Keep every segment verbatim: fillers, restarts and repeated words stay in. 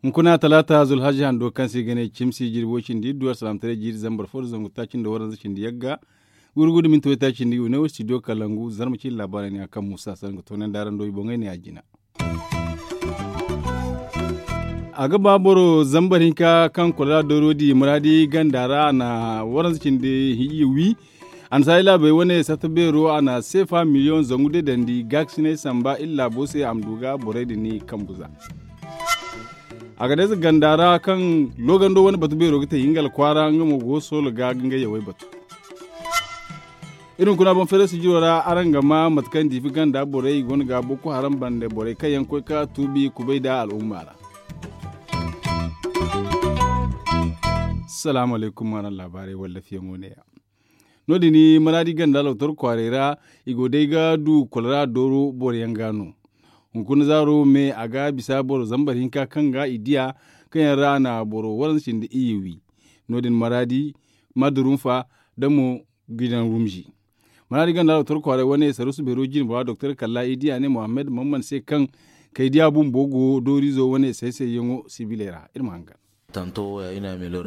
Hunkuna talaata zulhaji hando kaŋ se i ga ne cimsi jirbi way cindi iddu alsalaamataray jiiri zambar fo nda zangu taaci nda waranza cindi yagga. Gurgu nda minti waytaaci nda i wane wo studio kalangu zarma cine laabaarey ne a kaŋ muusa sara nga toonandi araŋ do i boŋey ne a jina. A ga ba boro zambar hinka kaŋ kolera dooro di muraadi ganda ra a na waranza cindi hijiya wi. Annasaari laabey wane sarta beero a na seefa miliyoŋ zangu deedandi gaakasinay samba iri laabo se a ma du ga borey din ni kambu za. A ga dayza ganda ra kaŋ loogando wane batu beero ga te hingal kwaara nga mo go soolo ga ga nga yawey batu. Iri hunkuna boŋ feere sijiro ra araŋ ga ma mate kaŋ diifi ganda borey i go no ga boko haram bande borey kaŋ yaŋ koy ka tuubi kubay nda al'umma ra. Salaamu alaykum araŋ laabaarey wallafiyaŋo neeya. No- din maraadi ganda lootor kwaarey ra i go day ga du kolera dooro boro yaŋ ga no. Hunkuna zaaro me a ga bisa boro zambar hinka kaŋ ga i diya kaŋ yaŋ ra a na boro waranza cindi iyye wi. No- din maraadi madurunfa da mo gidan rumzi. Maraadi ganda lootor kwaarey wane sarusu beero jine bora doktor kalla i diya ne muhammad mamman se kaŋ kay diya bumbo go doorizo wane say-sayyaŋo sibiley ra iri ma hangan.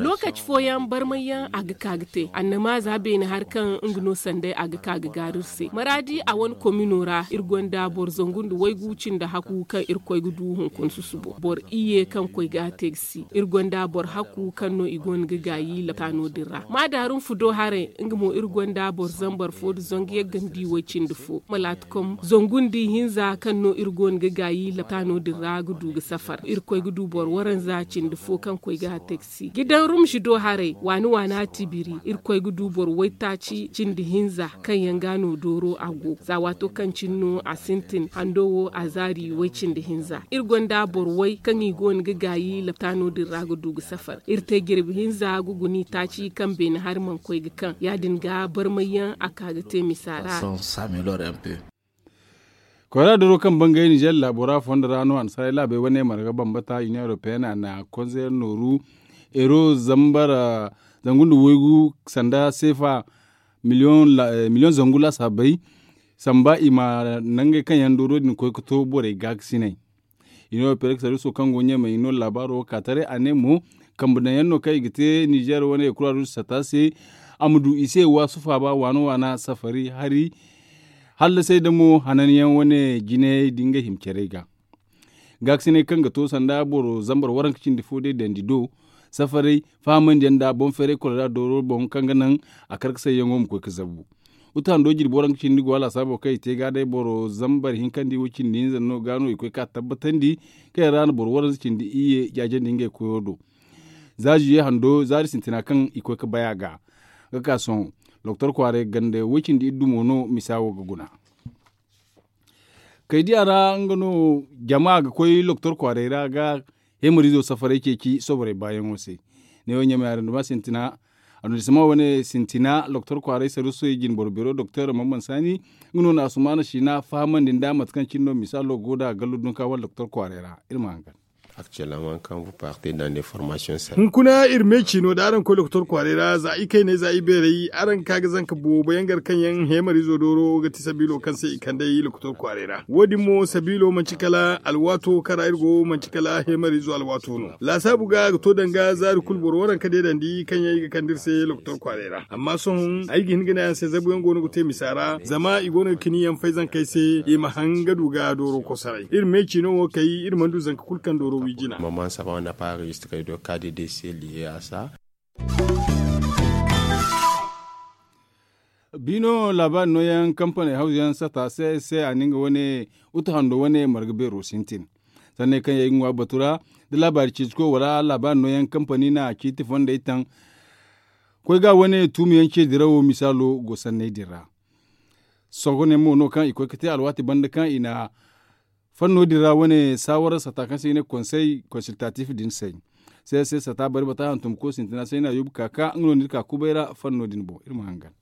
Lookaci fooyaŋ barmay yaŋ a ga ka ga te annama za beene hari kaŋ nga no sanday a ga ka ga gaaru iri se maraadi a wane komino ra iri gonda boro zangu nda waygu cindi haku kaŋ irkoy ga du hunkuna susubo boro iyye kaŋ koy ga a te ga si iri gonda boro haku kaŋ no i go no ga gaayi laptaano din ra maadaarun fudo haray nga mo iri gonda boro zambar fo nda zangu yaggandi way cindi fo malaatikom zangu nda ihinza kaŋ no iri go no ga gaayi laptaano din ra ga du ga safar irkoy ga du boro waranza cindi fo kaŋ koy ga a te ga si gidan rumsi do haray waani waana tibiri irkoy ga du boro waytaaci cindi hinza kaŋ yaŋ ga no dooro a go za waato kaŋ cine no a sintin hando wo a zaari way cindi hinza iri gonda boro way kaŋ i go no ga gaayi laptaano din ra ga du ga safar iri te jirbi hinza ga guna i taaci kaŋ beene hari mana koy ga kaŋ ya- din ga barmay yaŋ a ka ga te misa ra. Koyra doro kaŋ bangay nizer laabo ra fondo ra no annasaray laabey wane marga bambata union européenne a na konseyer nooru euro zambar zangu nda waygu sanda seefa miliyoŋ zangu laasaabey samba i ma nangey kaŋ yaŋ dooro din koy ga to borey gaakasinay. Union européenne sarwiso kaŋ go ɲamey no laabaaro wo ka taray a ne mo kambe daŋ yaŋ no kaŋ i ga te nizer wane kuraadu sata se a ma du i se waasu faaba waana waana safari hari hallasay da mo hananyaŋ wane jinayey da ngey hima carey ga. Gaakasinay kaŋ ga to sanda boro zambar waranka cindi fo day dandi do safaray fahamandiyaŋ nda boŋ feeray kolera dooro boŋ kaŋ ga naŋ a kar ga sayyaŋo ma koy ga zabu. Uta hando jirbi waranka cindi go a laasaabo kaŋ i te ga day boro zambar hinkandi wo cindi hinza no ga no i koy ga tabbatandi kaŋ yaŋ ra no boro waranza cindi iyye jaajandi ngey koyo do. Za ziye hando zaari sintina kaŋ i koy ga bay a ga ga ka sohõ. Doktor kwaaray ganda way cindi iddu mo no misa wo ga guna. Kaydiya ra nga no jama ga koy doktor kwaaray ra ga hemarizo safaray ceeci soborey baayaŋo se. Neewo ɲamey aranduma sintina adundisama wane sintina doktor kwaaray sarusoy jinboro beero doktor mamman saani nga no na asumaana siina fahamandi nda mate kaŋ cine no misaalo go da gallo dunka wala doktor kwaaray ra iri ma hangan. Hunkuna iri me ciino da araŋ koy lokotor kwaaray ra za ikayney za ibeerey araŋ ga ka ga zanka boobo yaŋ gar kaŋ yaŋ heemarizo dooro ga ti sabiilo kaŋ se i kand'ey lokotor kwaaray ra wo- din mo sabiilo manti kala alwaato kaŋ ra iri go manti kala heemarizo alwaato no. Laasaabu ga a ga to danga zaari kulu boro waranka deedandi kaŋ yaŋ i ga kande iri se lokotor kwaaray ra amma sohõ ay ga hin ga ne araŋ se zabuyaŋ go no ga te misa ra zama i go no ga kini yaŋ fay zankey se i ma haŋ ga du ga dooro kosoray iri me ciino wo kay iri mana du zanka kulu kaŋ dooro wi jina. Biino laabaari nooyaŋ kampani hawzuyaŋ sata se se a na nga wane utu hando wane marga beero sintin. Sanney kaŋ yaŋ ay ga ŋwa batu ra da laabaari ciitiko wala laabaari nooyaŋ kampani na ciiti fondey taŋ koy ga wane tuumiyaŋ ce dirawo misaalo go sanney din ra. Sohõ ne mo no kaŋ i koy ga te alwaati banda kaŋ i na fanno din ra wane saawara sata kaŋ se i ga ne konsey konsiltatif din say. Sey sey sata bari bata hantum ko sintina say no a yoobu ka ka nga no ni ga ka kubay ra fanno din boŋ iri ma hangan.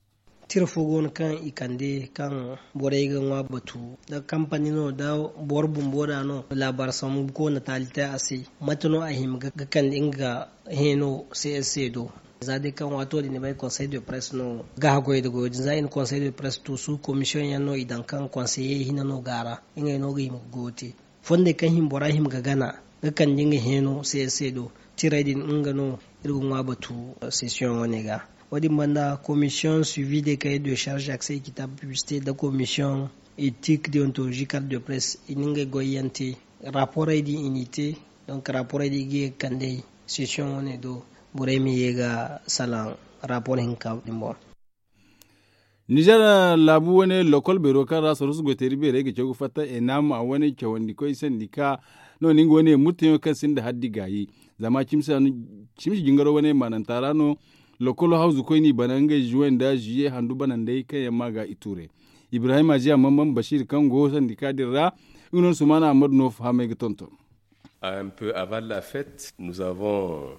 Tira fo go no kaŋ i kande kaŋ borey ga ŋwa batu da kampani no da boro bumbo da no laabaari sambu ko natali te a se. Mate no a hima ga kande nga heeno se se do. Za day kaŋ waato din ni bay konsey de presse no ga haggoy nda goyo din za i na konsey de presse tuusu komisiyoŋ yaŋ no i daŋ kaŋ konseye hina no go a ra. Ngey no ga hima ga goyo te fondey kaŋ hima bora hima ga gana ga kande nga heeno se se do. Tirey din nga no iri ga ŋwa batu sesiyoŋ wane ga. Wo- din banda komisiyoŋ suivi de kay de charge accès équitable publicité nda komisiyoŋ éthique déontologie carte de presse i na ngey goy yaŋ te. Raporey din i n'i te. Donc raporey din i ga ye ga kande sesiyoŋ wane do. Borey ma ye ga salaŋ rapor hinka din boŋ. Nizer laabu wane lokol beero kaŋ ra sarusu goyteeri beerey ga caw ga fatta enam a wane cawandikoy sandika no ni nga wane murtayaŋo kaŋ sinda haddi gaayi. Zama cimsi jingaro wane maananta ra no lokolo hawzukoy n'i bana ngey juwe nda juye handu banandey kaŋ yaŋ ma ga i tuure. Ibrahim aziya mamman bashir kaŋ go sandika din ra nga no sumaana ammadu no fahamey ga tonton. Un peu avant la fête nous avons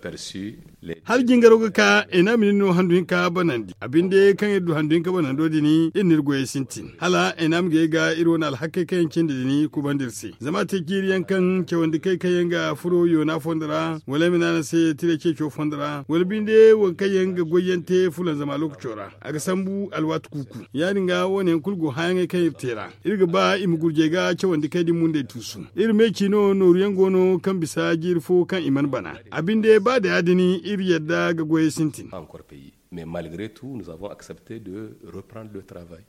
perçu les hala jingaro ga ka enam nin no handu hinka banandi abinde kaŋ iri du handu hinka banando din iri n'iri goyey sintin hala enam ga ye ga iri wane alhakey kaŋ yaŋ cindi din kubandi iri se zama a te jiiri yaŋ kaŋ cawandi kay kaŋ yaŋ ga furo yoona fondo ra wala ay ma ne araŋ se tira ceeco fondo ra wala binde wo kaŋ yaŋ ga goy yaŋ te fulanzama lookaco ra a ga sambu alwaati kuuku. Ya- din ga wo- ne yaŋ kulu go hããyaŋey kaŋ iri te ra iri ga ba i ma gurjey ga cawandi kay da i mundey tuusu. Iri me ci no nooru yaŋ go no kaŋ bisa jiiri fo kaŋ i mana bana. A binde ba da ya- din iri yadda ga goyey sintin. Mais malgre tout nous avons accepte de reprendre le travail.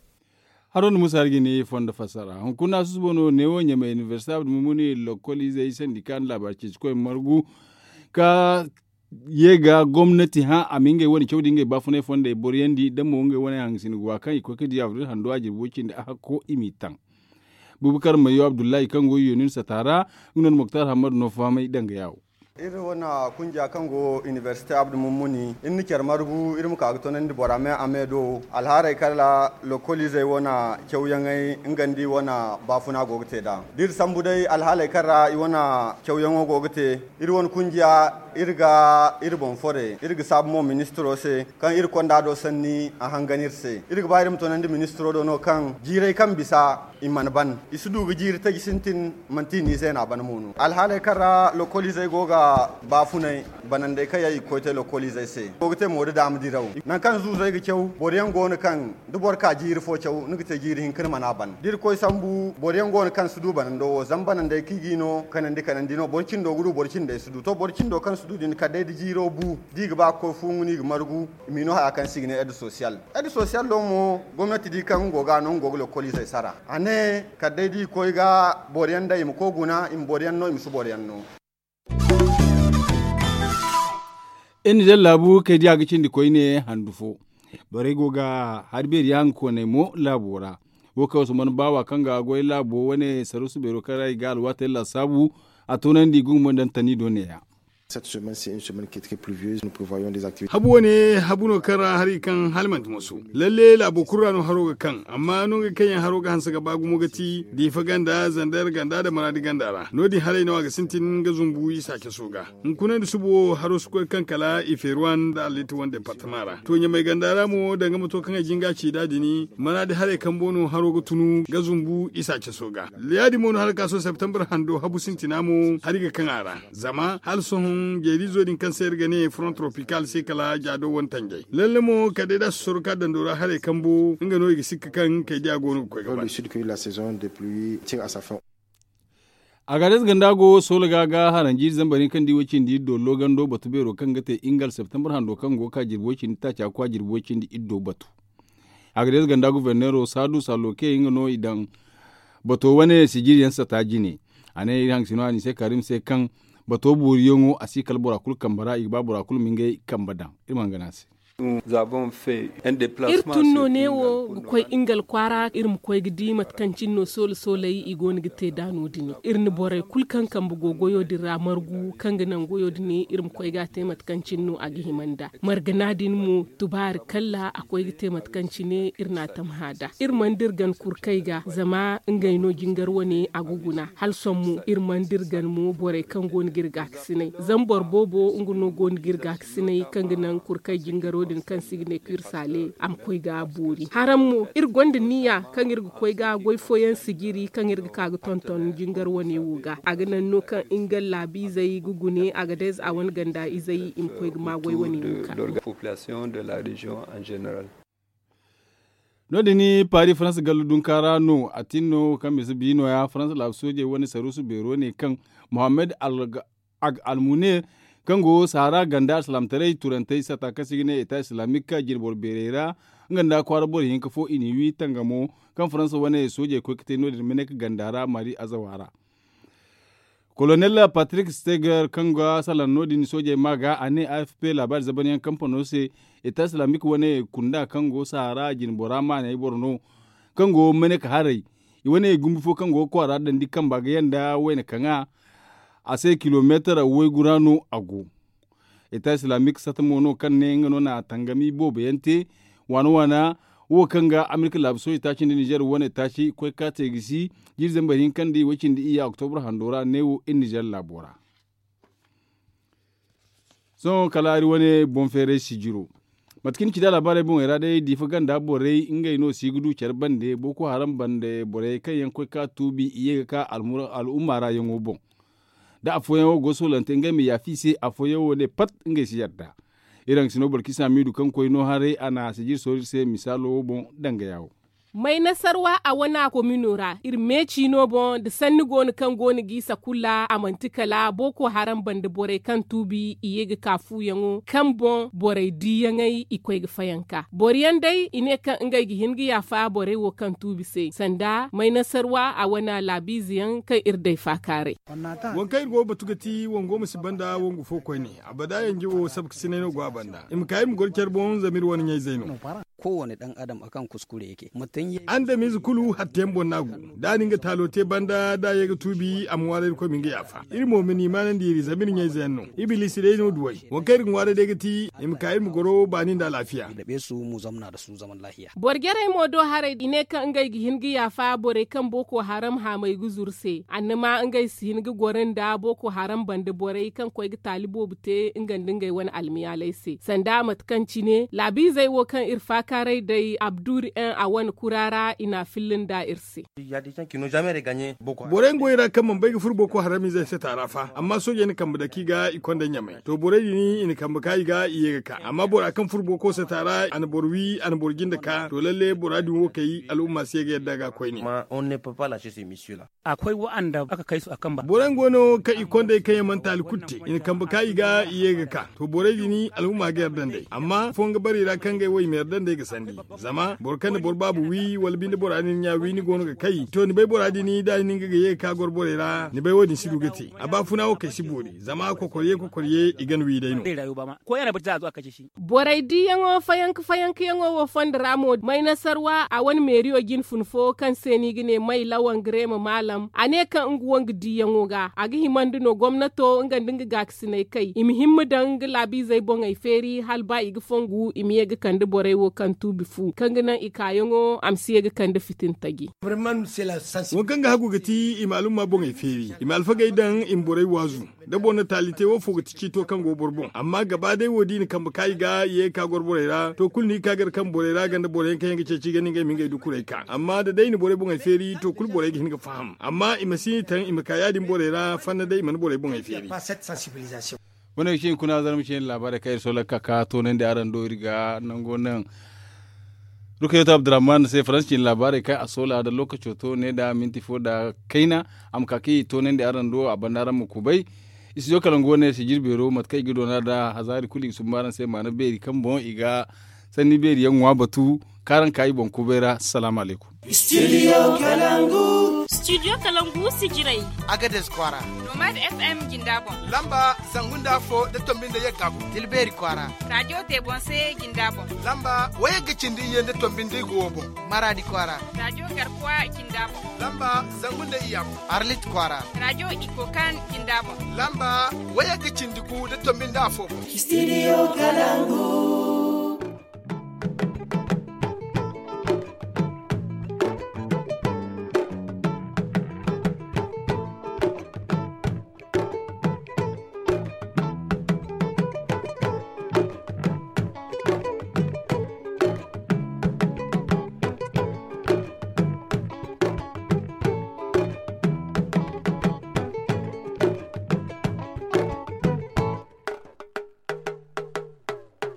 Haro nda musa hari ga ne fondo fassara hunkuna susubo no neewo ɲamay inibersite abdu mumuni lokkol izey sandika nda laabaari ceecikoy margu ka ye ga gomnati hã a ma ngey wane caw da ngey baafunay fondey boro yaŋ di da mo ngey wane hangasina ga wa kaŋ i koy ga di abril hando a jirbi way cindi a hakko i m'i taŋ. Bubakar mayo abdullahi kaŋ go yonun sata ra nga no nda moktar hammadu no fahamay danga yaawo. Iri wane kunja kaŋ go inibersite abdu mummuni iri na care margu iri ma ka ga tonandi bora me a me do alhaarey kaŋ ra lokoliizey wane cawyaŋey nga nda i wane baafuna go ga te nd'a da iri sambu day alhaaley kaŋ ra i wane cawyaŋo go ga te. Iri wane kunjiya iri ga iri boŋ fore iri ga saabu mo ministiro se kaŋ iri konda do sanni a hangan iri se iri ga ba iri ma tonandi ministiro do no kaŋ jiirey kaŋ bisa i mana ban i si du ga jiiri taji sintin. Manti i n'i zeena ban mo no alhaaley kaŋ ra lokoliizey go ga baafunay banandey kaŋ yaŋ i ga koy te lokoliizey se go ga te mo da daama diraw nangu kaŋ zuuzey ga caw boro yaŋ go no kaŋ da boro ka jiiri fo caw ni ga te jiiri hinka ni mana ban da iri koy sambu boro yaŋ go no kaŋ si du banando wo zama banandey kaŋ i g'i no kanandi kanandi no boro cindo ga du boro cindey si du to boro cindo kaŋ si du din kala day da jiiro bu da i ga ba ga koy fuuŋu no i ga margu i m'i no haya kaŋ se i ga ne ed sosiyal. Ed sosiyal do mo gomnati di kaŋ nga go ga no nga go ga lokoliizey sara a ne kala day da i koy ga boro yaŋ day i ma koy guna i ma boro yaŋ no i ma si boro yaŋ no. Iri nizer laabu kay diya ga cindi koyne handu fo borey go ga hari beeri yaŋ ga koonay mo laabo ra. Wo kaŋ usman baawa kaŋ ga goy laabo wane sarusu beero kaŋ ra i ga alwaatey laasaabu a toonandi gumo daŋ tani do neeya. Habu wane habu no kaŋ ra hari kaŋ hala manti moso lalle laabo kulu ra no haro ga kaŋ amma no ngey kaŋ yaŋ haro ga hanse ga ba gumo ga ti diifa ganda zander ganda nda maraadi ganda ra no- din haray no a ga sintin ga zumbu isa caso ga. Hunkuna nda suba wo haro si koy kaŋ kala i feeruwan nda alliiti wane departama ra to ɲamay ganda ra mo danga ma to kaŋ ay jinga ci nd'a din maraadi haray kambo no haro ga tunu ga zumbu isa caso ga. Ya- din mo no hala ka sohõ septembre hando habu sintina mo hari ga kaŋ a ra. Zama hala sohõ jeeriizo din kaŋ se iri ga ne front tropical se kala jaado wane tanjay lalle mo kala day da a si soro ka dando ra haray kambo nga no i ga sikka kaŋ kay diya go no ga koy ga ban. Agades ganda go soola ga ga haranji zambar hinka nda i way cindi iri do logando batu beero kaŋ ga te ingal septembre hando kaŋ go ga ka jirbi way cindi taaca ga koy a jirbi way cindi iri do batu. Agades ganda guverneero saadu saloke nga no i daŋ bato wane sijiri yaŋ sata jine. A ne iri hangasino a ni se karim se kaŋ bato booriyaŋo a si kala bora kulu kambe ra i ga ba bora kulu ma ngey kambe daŋ. Iri ma hangan a se. Iri tun no neewo ga koy ingal kwaara iri ma koy ga di mate kaŋ cine no soola sooley i go no ga te nd'a no- din iri na borey kulu kaŋ kambe go goyo din ra margu kaŋ ga naŋ goyo din iri ma koy ga a te mate kaŋ cine no a ga hima nd'a. Margana din mo tubaari kalla a koy ga te mate kaŋ cine iri n'a tamha nd'a. Iri mana dira gana kurkey ga zama ngey no jingar wane a ga guna hala sohõ mo iri mana dira gana mo borey kaŋ go no ga iri gaakasinay zama boro boobo nga no go no ga iri gaakasinay kaŋ ga naŋ kurkey jingaro. Din kaŋ se i ga ne ka iri saale a ma koy ga boori haraŋ mo iri gonda niya kaŋ iri ga koy ga goy fooyaŋ sijiri kaŋ iri ga ka ga tonton jingar wane wo ga a ga naŋ no kaŋ nga laabiizey ga gune a ga day za a wane ganda izey i ma koy ga ma goy wane wo ga. No- din paris faransa gallu dunka ra no a tin no kaŋ bisa bi no- ya faransa laabu soojey wane saruusu beero ne kaŋ mohammed almunir kaŋ go sahara ganda alsilaamtaray turantey sata kaŋ se i ga ne eta islaamik jine boro beerey ra nga nda kwaara boro hinka fo i n'i wi tangamo kaŋ faransa wane soojey koy ga te no- din mene ga ganda ra mari azawa ra. Kolonel patrik steger kaŋ ga salaŋ no- din soojey ma ga a ne a f p laabaari zaban yaŋ kampano se eta islaamik wane kunda kaŋ go sahara jine bora maaney boro no kaŋ go mene ka haray i wane gumbi fo kaŋ go ga kwaara dandi kamba ga yanda wayna kaŋ a se kilomeetar waygu ra no a go. Eta islaamik sata mo no kaŋ ne nga no na a tangami boobo yaŋ te waana waana wo kaŋ ga amerika laabu sooji taaci nda nizer wane taaci koy ka te ga si jiiri zambar hinka nda i way cindi iyya oktobra hando ra neewo iri nizer laabo ra. Sohõ kala hari wane boŋ feeray sijiro mate kaŋ ni ci da laabaarey boŋey ra day diifa ganda borey ngey no si ga du care bande boko haram bande borey kaŋ yaŋ koy ka tuubi i ye ga ka al'umma ra yaŋo boŋ. Da afooyaŋo go soolante ngey ma yaafa i se afooyaŋ wo ne pat ngey si yadda. Iri haŋ ga si no boro kaŋ i si hamiidu kaŋ koy no haray a na sijiri soori iri se misaalo wo boŋ dangaya wo. May nasarwa a wana komino ra iri meeci no boŋ nda sanni go no kaŋ go no g'i sakula a manti kala boko haram banda borey kaŋ tuubi i ye ga ka fuuyaŋo kaŋ boŋ borey diiyaŋey i koy ga fayanka boro yaŋ day i ne kaŋ ngey ga hin ga yaafa borey wo kaŋ tuubi se sanda may nasarwa a wana laabiize yaŋ kaŋ iri day faakaaray. Waŋ kaŋ iri go ga batu ga ti wango ma si banda wangu fo koyne abada yanje wo sabka sinay no go a banda i ma ka iri ma goro care boŋ zama iri wane ɲayzey no. Kowane dan adam akan kuskure yake mutum ya andamize kulu hatta yaŋ boŋ no a go. Da a na nga taalo te banda da a ye ga tuubi a ma ŋwaaray irkoy ma nga yaafa iri mo ma ni maanandi iri zama iri ɲayze yaŋ no. Ibilisi day no duwey waŋ kaŋ iri ga ŋwaaray day ga ti i ma ka iri ma goro baani nda alaafiya. Boro jarey mo do haray i ne kaŋ ngey ga hin ga yaafa borey kaŋ boko haram haamey ga zuru se annama ngey si hin ga goro nda boko haram banda borey kaŋ koy ga taali boobo te nga nda ngey wane almiyaaley se sanda mate kaŋ cine laabiizey wo kaŋ iri faakaaray day abduri en a wane kura ra i na a filla nda iri se. Borey nga goy ra kaŋ mana bay ga furo boko haram izey se taara fa amma soojey na kambe dake i ga i konda ɲamay to borey din i na kambe ka i ga i ye ga ka amma bora kaŋ furo boko se taara a na boro wi a na boro jinde ka to lalle bora din wo kay al'umma si ye ga yadda ga koyne. Borey nga go no kaŋ i konda i kaŋ yaŋ mana taali kulu te i na kambe ka i ga i ye ga ka to borey din al'umma ga yadda nd'ey amma afooyaŋ ga bare i ra kaŋ ngey wo i ma yadda nd'ey ga sandi. Zama boro kaŋ na boro baaba wi wala binde bora din ɲa wi ni go no ga kay to ni bay bora din da ni nga ga ye ga ka goro borey ra ni bay wo- din si du ga te a baafuna wo kay si boori zama kokor ye kokor ye i gana wi day no. Borey diiyaŋo fayanka fayanka yaŋo wo fondo ra mo may nasarwa a wane meeriyo jine fun fo kaŋ se no i ga ne may lawan grema maalam a ne kaŋ nga wo nga diiyaŋo ga a ga himandi no gomnato nga nda nga gaakasiney kay i ma himma daŋ nga laabiizey boŋey feeri hala ba i ga fongu i ma ye ga kande borey wo kaŋ tuubi fu kaŋ ga naŋ i kaayaŋo a ma si ye ga kande fitintaji. Waŋ kaŋ ga hagu ga ti i ma alumma boŋey feeri i ma alfagey daŋ i ma borey waazu. Da boro na taali te wo fo ga ti ciito kaŋ go boro boŋ amma gaba day wo da i na kambe ka i ga i ye ga ka goro borey ra to kulu no i ga ka gar kaŋ borey ra ganda boro yaŋ kaŋ yaŋ ga ceeci i ga ne ngey ma ngey dukurey ka amma da day i na borey boŋey feeri to kulu borey ga hin ga faham amma i ma si ni taŋ i ma ka ya- din borey ra fanna day i mana borey boŋey feeri. Wane ga ci hunkuna zarma ci yaŋ laabaarey kaŋ iri soolaka ka toonandi araŋ do iri ga nango naŋ. Rukayeto abdurrahman se faransa ci ni laabaarey kaŋ a soola nda lookaco to ne nda minti fo nda kayna a ma ka kaŋ i toonandi araŋ do a banda araŋ ma kubay. Istijo kala nga wane se jirbeero mate kaŋ i ga doona nda hazaari kulu i ga sumba araŋ se maana beeri kaŋ boŋ i ga sanni beeri yaŋ ŋwa batu kaŋ araŋ ka i boŋ kubay ra salaamu alaykum. Studio kalangu sijirey. Agades kwaara. Nomad f m jinda boŋ. Lamba zangu nda afo da tombi nda yagga gu. Tilbeeri kwaara. Rajo tebonse jinda boŋ. Lamba wayagga cindi iyye nda tombi nda igo wo boŋ. Maraadi kwaara. Rajo garkuwa jinda boŋ. Lamba zangu nda iyya boŋ. Arlit kwaara. Rajo ikokan jinda boŋ. Lamba wayagga cindi gu nda tombi nda afo boŋ. Studio kalangu.